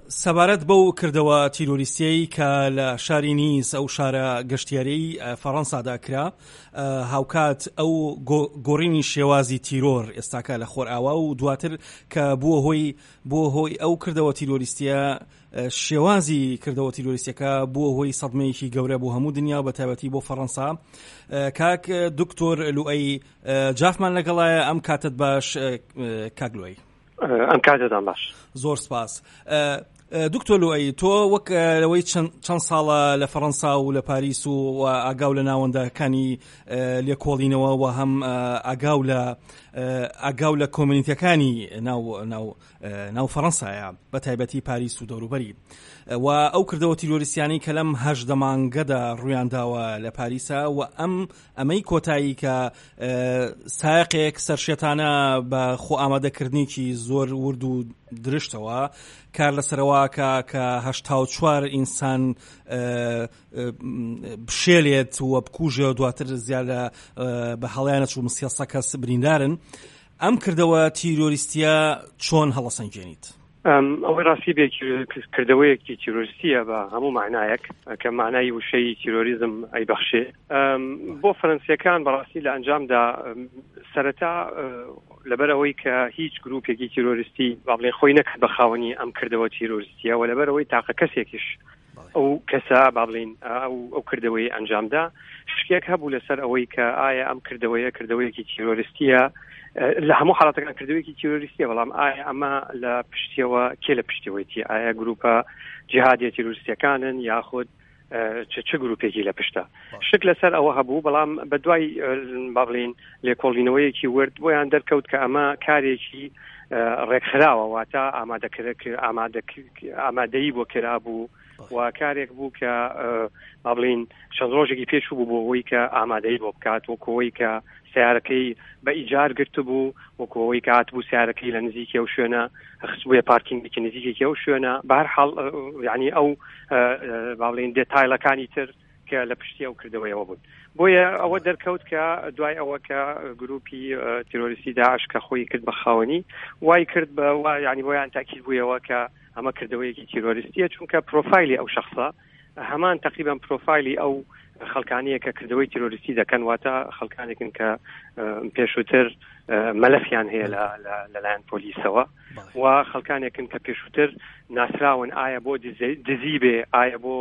سەبارەت بەو کردەوە تیرۆریستیەی کە لە شاری نیس ئەو شارە گەشتیاریەی فەڕەنسادا کرا، هاوکات ئەو گۆڕینی شێوازی تیرۆر ئێستاکە لە خۆرئاوا و دواتر کە بووە هۆی بووە هۆی ئەو کردەوە تیرۆریستیە شێوازی کردەوە تیرۆریستیەکە بووە هۆی سەدمەیەکی گەورە بۆ هەموو دنیا بە تایبەتی بۆ فەڕەنسا. کاک دکتۆر لوئەی جافمان لەگەڵایە ئەم کاتت باش کاک لوئەی. ئەم کاتەتان باش. زۆر سپاس. دکتۆر لوئەی تۆ وەک لەوەی چەند ساڵە لە فەڕەنسا و لە پاریس و ئاگاو لە ناوەندەکانی لێکۆڵینەوە و هەم ئاگاو لە ئاگاو لە کۆمیونیتەکانی ناو ناو ناو فەڕەنسایە بە تایبەتی پاریس و دەوروبەری و ئەو کردەوە تیرۆریستیانەی کە لەم هەژدە مانگەدا ڕوویان داوە لە پاریسا و ئەم ئەمەی کۆتایی کە سایەقێک سەرشێتانە بە خۆ ئامادەکردنێکی زۆر ورد و درشتەوە کار لەسەرەوەکە کە 84 ئینسان بشێلێت و بکوژێ و دواتر زیاد لە بە هەڵیانە چوو سێ کەس بریندارن ئەم کردەوە تیرۆریستیە چۆن هەڵەسەنگێنیت؟ ئەوەی ڕاستی بێ کردەوەیەکی تیرۆریستیە بە هەموو معنایەک کە معنای وشەی تیرۆریزم ئەیبەخشێ بۆ فەرەنسیەکان بەڕاستی لە ئەنجامدا سەرەتا لەبەر ئەوەی کە هیچ گروپێکی تیرۆریستی با بڵێن خۆی نەکرد بە خاوەنی ئەم کردەوە تیرۆریستیە و لەبەر ئەوەی تاقە کەسێکیش ئەو کەسە با بڵین ئەو ئەو کردەوەی ئەنجامدا شتێک هەبوو لەسەر ئەوەی کە ئایا ئەم کردەوەیە کردەوەیەکی تیرۆریستیە لە هەموو حاڵەتەکان کردەوەیەکی تیرۆریستیە بەڵام ئایا ئەمە لە پشتیەوە کێ لە پشتیەوەیتی ئایا گروپە جیهادیە تیرۆریستیەکانن یاخود چ چ گروپێکی لە پشتە شک لەسەر ئەوە هەبوو بەڵام بە دوای با بڵین لێکۆڵینەوەیەکی ورد بۆیان دەرکەوت کە ئەمە کارێکی ڕێکخراوە واتە ئامادەکرد ئامادەیی بۆ کرابوو و کارێک بوو کە با بڵین چەند ڕۆژێکی پێشوو بوو بۆ ئەوەی کە ئامادەی بۆ بکات وەکەوەی کە سیارەکەی بە ئیجار گرتبوو وەکەوەی کە هاتبوو سیارەکەی لە نزیکی ئەو شوێنە خستبووە پارکینگێکی نزیکێکی ئەو شوێنە بە هەر حاڵ یعنی ئەو با بڵین دێتایلەکانی تر کە لە پشتی ئەو کردەوەیەوە بوون بۆیە ئەوە دەرکەوت کە دوای ئەوە کە گروپی تیرۆریستی داعش کە خۆی کرد بە خاوەنی وای کرد بە ینی بۆیان تاکیل بوویەوە کە ئەمە کردەوەیەکی تیرۆریستیە چونکە پرۆفایلی ئەو شخصە هەمان تقریبا پرۆفایلی ئەو خەڵکانەیە کە کردەوەی تیرۆریستی دەکەن واتە خەڵکانێکن کە پێشووتر مەلەفیان هەیە لەلایەن پۆلیسەوە و خەڵکانێکن کە پێشووتر ناسراون ئایا بۆ دزی بێ ئایا بۆ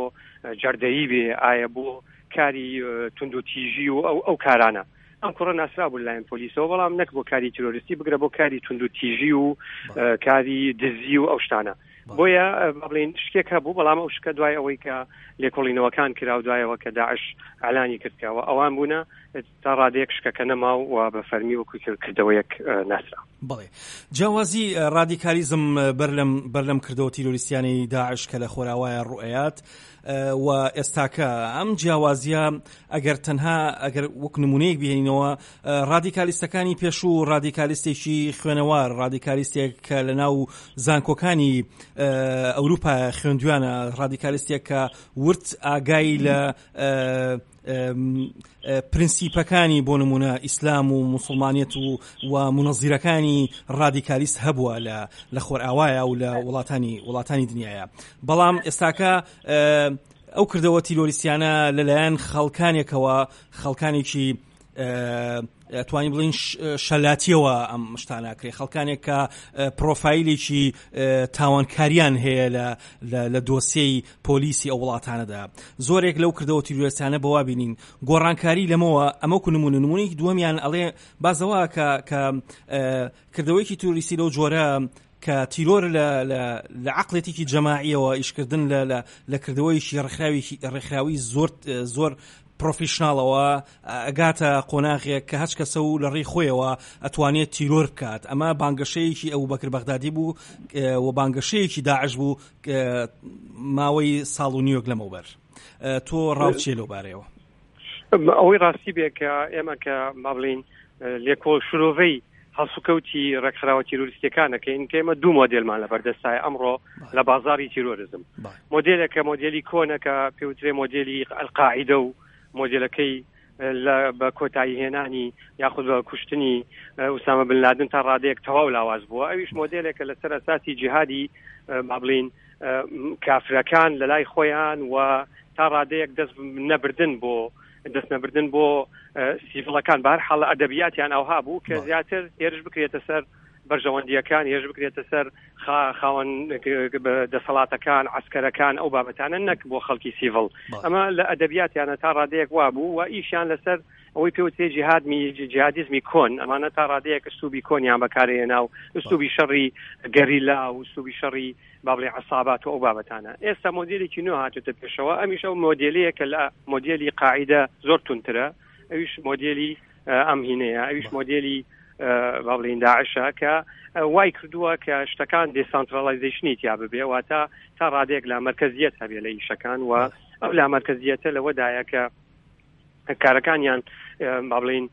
جەردەیی بێ ئایا بۆ کاری توندوتیژی و ئەو ئەو کارانە ئەم کوڕە ناسرا بوو لایەن پۆلیسەوە بەڵام نەک بۆ کاری تیرۆریستی بگرە بۆ کاری توندوتیژی و کاری دزی و ئەو شتانە بۆیە بڵین شتێک هەبوو بەڵام ئەو شکە دوای ئەوەی کە لێکۆڵینەوەکان کرا و دوایەوە کە داعش ئالانی کردکەوە ئەوان بوونە تا ڕادەیەک شکەکە نەما و بە فەرمی وەکو کردەوەیەک ناسرا. بەڵێ. جیاوازی ڕادیکالیزم بەر لەم بەر لەم کردەوە تیرۆریستیانەی داعش کە لە خۆراوایە ڕوئەیات و ئێستاکە ئەم جیاوازیە ئەگەر تەنها ئەگەر وەک نمونەیەک بهێنینەوە ڕادیکالیستەکانی پێشوو ڕادیکالیستێکی خوێنەوار ڕادیکالیستێک کە لە ناو زانکۆکانی ئەوروپا خوێندویانە ڕادیکالیستێک کە ورد ئاگای لە پرنسیپەکانی بۆ نمونە ئیسلام و موسڵمانیەت و و مونەزیرەکانی ڕادیکالیست هەبووە لە لە خۆرئاوایە و لە وڵاتانی وڵاتانی دنیاە بەڵام ئێستاکە ئەو کردەوە تیرۆریستیانە لەلایەن خەڵکانێکەوە خەڵکانێکی توانین بڵین شەلاتیەوە ئەم شتاناکرێ خەڵکانێک کە پرۆفایلێکی تاوانکاریان هەیە لە لە دۆسیەی پۆلیسی ئەو وڵاتانەدا زۆرێک لەو کردەوە تیرۆریستانە بەوا بینین گۆڕانکاری لەمەوە ئەمە کو نمونە نمونەیەکی دووەمیان ئەڵێ بازەوە کە کە کردەوەیەکی تیرۆریستی لەو جۆرە کە تیرۆر لە لە عقلێتێکی جەماعیەوە ئیشکردن لە لە لە کردەوەیکی ڕێکخراوێکی ڕێکخراوی زۆر زۆر پرۆفیشناڵەوە ئەگاتە قۆناغێک کە هەچ کەسە و لە ڕێی خۆیەوە ئەتوانێت تیرۆر بکات ئەمە بانگەشەیەکی ئەو بەکر بەغدادی بوو و بانگەشەیەکی داعش بوو ماوەی ساڵ و نیوەک لەمەوبەر تۆ ڕاو چیە لەو بارەیەوە؟ ئەوەی ڕاستی بێ کە ئێمە کە با بڵین لێکۆڵ شرۆڤەی هەڵسوکەوتی ڕێکخراوە تیرۆریستیەکان ئەکەین کە ئێمە دوو مۆدێلمان لە بەردەستایە ئەمڕۆ لە بازاری تیرۆریزم مۆدێلێک کە مۆدێلی کۆنە کە پێوترێ مۆدێلی ئەلقاعیدە و مۆدێلەکەی لە بە کۆتایی هێنانی یاخود بە کوشتنی ئوسامە بن لادن تا ڕادەیەک تەواو لاواز بووە ئەویش مۆدێلێکە لەسەر ئەساسی جیهادی با بڵین کافرەکان لە لای خۆیان و تا ڕادەیەک دەست نەبردن بۆ دەست نەبردن بۆ سیڤڵەکان. بە هەر حاڵ ئەدەبیاتیان ئەوها بوو کە زیاتر هێرش بکرێتە سەر بەرژەوەندییەکان، هێرش بکرێتە سەر خاوەن دەسەڵاتەکان، عەسکەرەکان، ئەو بابەتانە، نەک بۆ خەڵکی سیڤڵ. ئەمە لە ئەدەبیاتیانە تا ڕادەیەک وابوو و ئیشیان لەسەر ئەوەی پێوترێ جیهادمی جیهادیزمی کۆن. ئەمانە تا ڕادەیەک ئسلوبی کۆنیان بەکارهێنا و ئسلوبی شەڕی گەریلا و ئسلوبی شەڕی با بڵێ عەسابات و ئەو بابەتانە. ئێستا مۆدێلێکی نوێ هاتوتە پێشەوە، ئەمیش ئەو مۆدێلەیە کە لە مۆدێلی قاعیدە زۆر توندترە، ئەویش مۆدێلی ئەم هینەیە، ئەویش مۆدێلی با بڵێین داعشە کە وای کردووە کە شتەکان decentralization ی تیا ببێ، واتە تا ڕادەیەک لا مەرکەزیەت هەبێ لە ئیشەکان. و ئەو لا مەرکەزیەتە لەوەدایە کە کارەکانیان با بڵین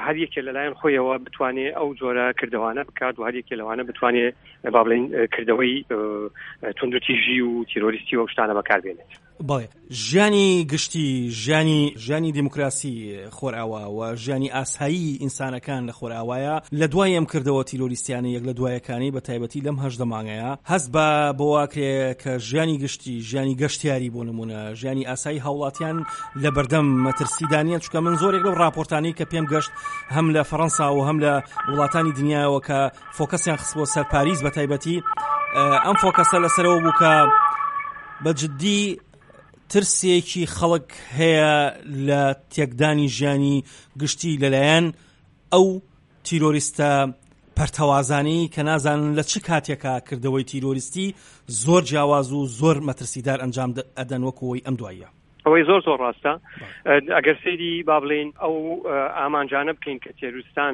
هەر یەکێ لەلایەن خۆیەوە بتوانێ ئەو جۆرە کردەوانە بکات و هەر یەکێ لەوانە بتوانێ با بڵین کردەوەی توندوتیژی و تیرۆریستی و شتانە بەکاربێنێت. بەڵێ ژیانی گشتی، ژیانی ژیانی دیموکراسی خۆرئاوا و ژیانی ئاسایی ئینسانەکان لە خۆرئاوایە لە دوای ئەم کردەوە تیرۆریستیانە یەک لە دوایەکانی بە تایبەتی لەم 18 مانگەیە هەست بە بەوە ئەکرێ کە ژیانی گشتی، ژیانی گەشتیاری بۆ نمونە ژیانی ئاسایی هاوڵاتیان لە بەردەم مەترسیدا نییە؟ چونکە من زۆرێک لەو ڕاپۆرتانەی کە پێم گەشت هەم لە فەڕەنسا و هەم لە وڵاتانی دنیاوە کە focus یان خستبووە سەر پاریس بە تایبەتی، ئەم focus ە لەسەرەوە بوو کە بە جدی ترسێکی خەڵک هەیە لە تێکدانی ژیانی گشتی لەلایەن ئەو تیرۆریستە پەرتەوازانەی کە نازانن لە چ کاتێکا کردەوەی تیرۆریستی زۆر جیاواز و زۆر مەترسیدار ئەنجام ئەدەن وەکو ئەوەی ئەم دواییە. ئەوەی زۆر زۆر ڕاستە. ئەگەر سەیری با بڵێین ئەو ئامانجانە بکەین کە تێروستان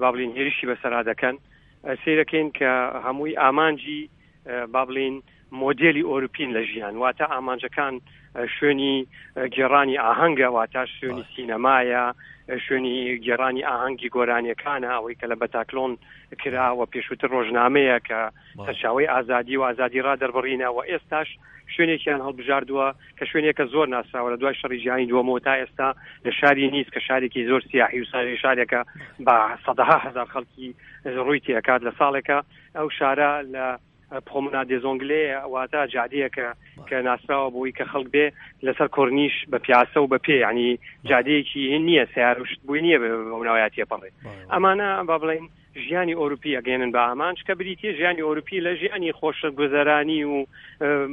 با بڵێین هێرشی بەسەرا دەکەن، سەیرەکەین کە هەمووی ئامانجی با بڵێین مۆدێلی ئۆروپین لە ژیان، واتە ئامانجەکان شوێنی گێڕانی ئاهەنگە، واتە شوێنی سینەمایە، شوێنی گێڕانی ئاهەنگی گۆرانیەکانە، ئەوەی کە لە بەتاکلۆن کرا و پێشووتر ڕۆژنامەیە کە سەرچاوەی ئازادی و ئازادی ڕا دەربڕینە، و ئێستاش شوێنێکیان هەڵبژاردووە کە شوێنێکە زۆر ناسراوە لە دوای شەڕی جیهانی دووەمەوە تا ئێستا لە شاری نیس کە شارێکی زۆر سیاحی و شارێکە بە سەدەها هەزار خەڵکی ڕووی تێکات لە ساڵێکە. ئەو شارە لە پرۆمناد دێزۆنگلێ، واتە جادەیەکە کە ناسراوە بۆی کە خەڵک بێ لەسەر کۆرنیش بە پیاسە و بە پێ، ینی جادەیەکی نییە سیار و شت بووی نییە بەو ناویا تێپەڕێ. ئەمانە با بڵین ژیانی ئەوروپی ئەگەێنن بە ئامانج، کە بریتە ژیانی ئەوروپی لە ژیانی خۆشگوزەرانی و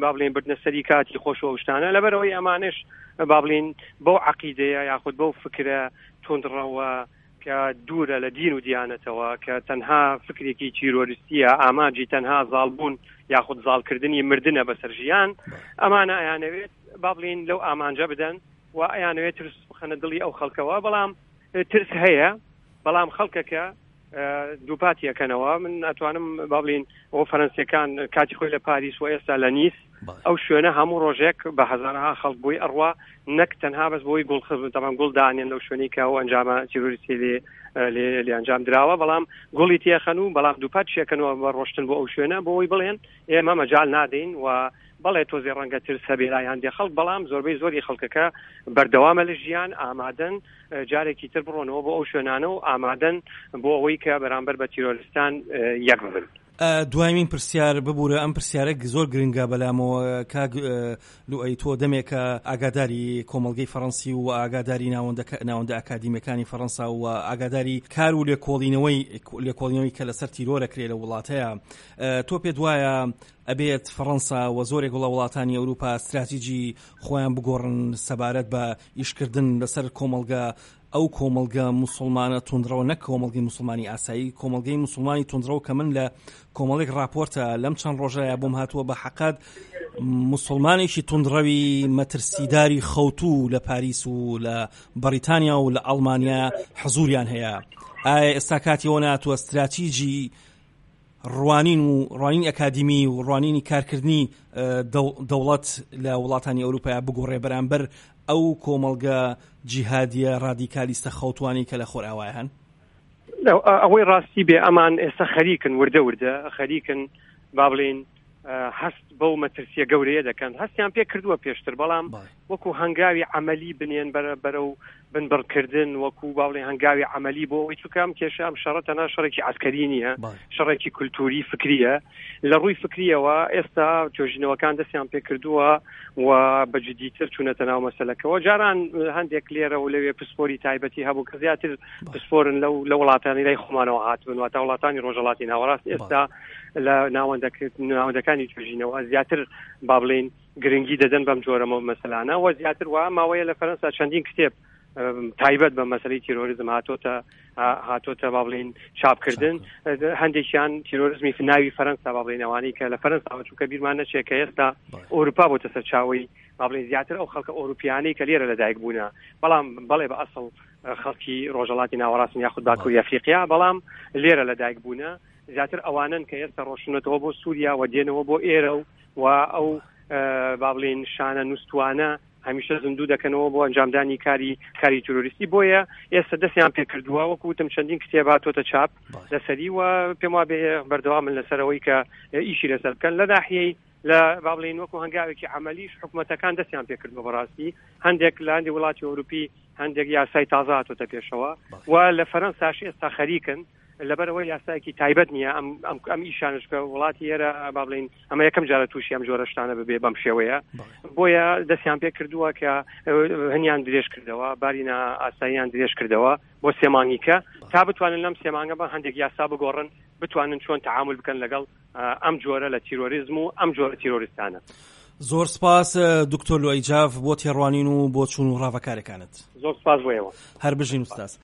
با بڵێن بردنە سەری کاتی خۆش و شتانە. لەبەرەوەی ئەمانش با بڵین بەو عقیدەیە یاخود بەو فکرە توندڕەوە کە دوورە لە دین و دیانەتەوە، کە تەنها فکرێکی تیرۆریستیە، ئامانجی تەنها زاڵبوون یاخود زاڵکردنی مردنە بەسەر ژیان، ئەمانە ئەیانەوێت با بڵین لەو ئامانجە بدەن و ئەیانەوێت ترس بخەنە دڵی ئەو خەڵکەوە. بەڵام ترس هەیە، بەڵام خەڵکەکە دووپاتی ئەکەنەوە. من ئەتوانم با بڵین ئەو فەرەنسیەکان کاتی خۆی لە پاریس و ئێستا لە نیس، ئەو شوێنە هەموو ڕۆژێک بە هەزارەها خەڵک بۆی ئەڕوا، نەک تەنها بەس بۆی گوڵ تەمان گوڵ دانێن لەو شوێنەی کە ئەو ئەنجامە تیرۆریستی لێ لێ ئەنجام دراوە، بەڵام گوڵی تێخەن و بەڵام دووپات شێکەنەوە بە ڕۆشتن بۆ ئەو شوێنە بۆ ئەوەی بڵێن ئێمە مەجال نادەین. و بەڵێ تۆزێ ڕەنگە ترس هەبێ لای هەندێک خەڵک، بەڵام زۆربەی زۆری خەڵکەکە بەردەوامە لە ژیان، ئامادەن جارێکی تر بڕۆنەوە بۆ ئەو شوێنانە و ئامادەن بۆ ئەوەی کە بەرامبەر بە تیرۆریستان یەک ببن. دوایین پرسیار، ببورە ئەم پرسیارە زۆر گرنگە بەلامەوە کاک لوئەی، تۆ دەمێکە ئاگاداری کۆمەڵگەی فەڕەنسی و ئاگاداری ناوەندە ئەکادیمیەکانی فەڕەنسا و ئاگاداری کار و لێکۆڵینەوەی لێکۆڵینەوەی کە لەسەر تیرۆر ئەکرێ لە وڵاتەیە، تۆ پێت وایە ئەبێت فەڕەنسا و زۆرێک لە وڵاتانی ئەوروپا ستراتیجی خۆیان بگۆڕن سەبارەت بە ئیشکردن لەسەر کۆمەڵگە، ئەو کۆمەڵگە موسڵمانە توندڕەوە، نەک کۆمەڵگەی موسڵمانی ئاسایی، کۆمەڵگەی موسڵمانی توندڕەو کە من لە کۆمەڵێک ڕاپۆرتە لەم چەند ڕۆژەیە بۆم هاتووە بە حەقەت موسڵمانێکی توندڕەوی مەترسیداری خەوتوو لە پاریس و لە بەڕیتانیا و لە ئەڵمانیا حزوریان هەیە. ئایا ئێستا کاتی ئەوە ناتوە ستراتیجی ڕوانین و ڕوانینی ئەکادیمی و ڕوانینی کارکردنی دەوڵەت لە وڵاتانی ئەوروپا بگۆڕێ بەرامبەر ئەو کۆمەڵگە جیهادیە ڕادیکالیستە خەوتوانی کە لە خۆرئاوای هەن؟ ئەوەی ڕاستی بێ ئەمان ئێستا خەریکن وردە وردە خەریکن با بڵین هەست بەو مەترسیە گەورەیە دەکەن. هەستیان پێ کردووە پێشتر، بەڵام وەکو هەنگاوی عەمەلی بنێن بەرەو بنبڕکردن، وەکو با بڵێین هەنگاوی عەمەلی بۆ ئەوەی، چونکە ئەم کێشە، ئەم شەڕە تەنها شەڕێکی عەسکەری نییە، شەڕێکی کولتووری فکرییە. لە ڕووی فکرییەوە ئێستا توێژینەوەکان دەستیان پێکردووە و بە جدیتر چوونەتە ناو مەسەلەکەوە. جاران هەندێک لێرە و لەوێ پسپۆری تایبەتی هەبوو کە زیاتر پسپۆرن لەو لە وڵاتانی لای خۆمانەوە هاتبن، واتە وڵاتانی ڕۆژهەڵاتی ناوەڕاست. ئێستا لە ناوەندەکانی توێژینەوە زیاتر با بڵێین گرنگی دەدەن بەم جۆرە مەسەلانە و زیاتر وا ماوەیە لە فەرەنسا چەندین کتێب تایبەت بە مەسەلەی تیرۆریزم هاتۆتە هاتۆتە با بڵین چاپکردن. هەندێکیان تیرۆریزمی ناوی فەرەنسا با بڵین ئەوانەی کە لە فەرەنساوە، چونکە بیرمان نەچێت کە ئێستا ئەوروپا بۆتە سەرچاوەی با بڵین زیاتر ئەو خەڵکە ئەوروپیانەی کە لێرە لەدایک بوونە، بەڵام بەڵێ بە ئەسڵ خەڵکی ڕۆژهەڵاتی ناوەڕاستن یاخود باکووری ئەفریقیا، بەڵام لێرە لەدایک بوونە، زیاتر ئەوانن کە ئێستا ڕۆشنەتەوە بۆ سووریا و دێنەوە بۆ ئێرە و ئەو با بڵین شانە نووسوانە هەمیشە زیندوو دەکەنەوە بۆ ئەنجامدانی کاری کاری تیرۆریستی. بۆیە ئێستا دەستیان پێکردووە، وەکو وتم چەندین کتێب هاتۆتە چاپ لەسەری و پێم وابێ بەردەوامن لەسەرەوەی کە ئیشی لەسەر بکەن. لە ناحیەی لە با بڵێین وەکو هەنگاوێکی عەمەلیش حکومەتەکان دەستیان پێکردووە. بەڕاستی هەندێک لە هەندێک وڵاتی ئەوروپی هەندێک یاسای تازە هاتۆتە پێشەوە و لە فەرەنساش ئێستا خەریکن، لەبەرئەوەی یاسایەکی تایبەت نییە ئەم ئەم ئەم ئیشانش کە وڵاتی ئێرە با بڵێین ئەمە یەکەم جارە تووشی ئەم جۆرە شتانە ببێ بەم شێوەیە، بۆیە دەستیان پێ کردووە کە هەنیان درێژ کردەوە، باری ئاساییان درێژ کردەوە بۆ سێ مانگیکە تا بتوانن لەم سێ مانگە بە هەندێک یاسا بگۆڕن، بتوانن چۆن تەعامول بکەن لەگەڵ ئەم جۆرە لە تیرۆریزم و ئەم جۆرە تیرۆریستانە. زۆر سپاس دکتۆر لوئەی جاف بۆ تێڕوانین و بۆچوون و ڕاڤەکارەکانت. زۆر سپاس بۆ ئێوە. هەر بژین ئوستاز.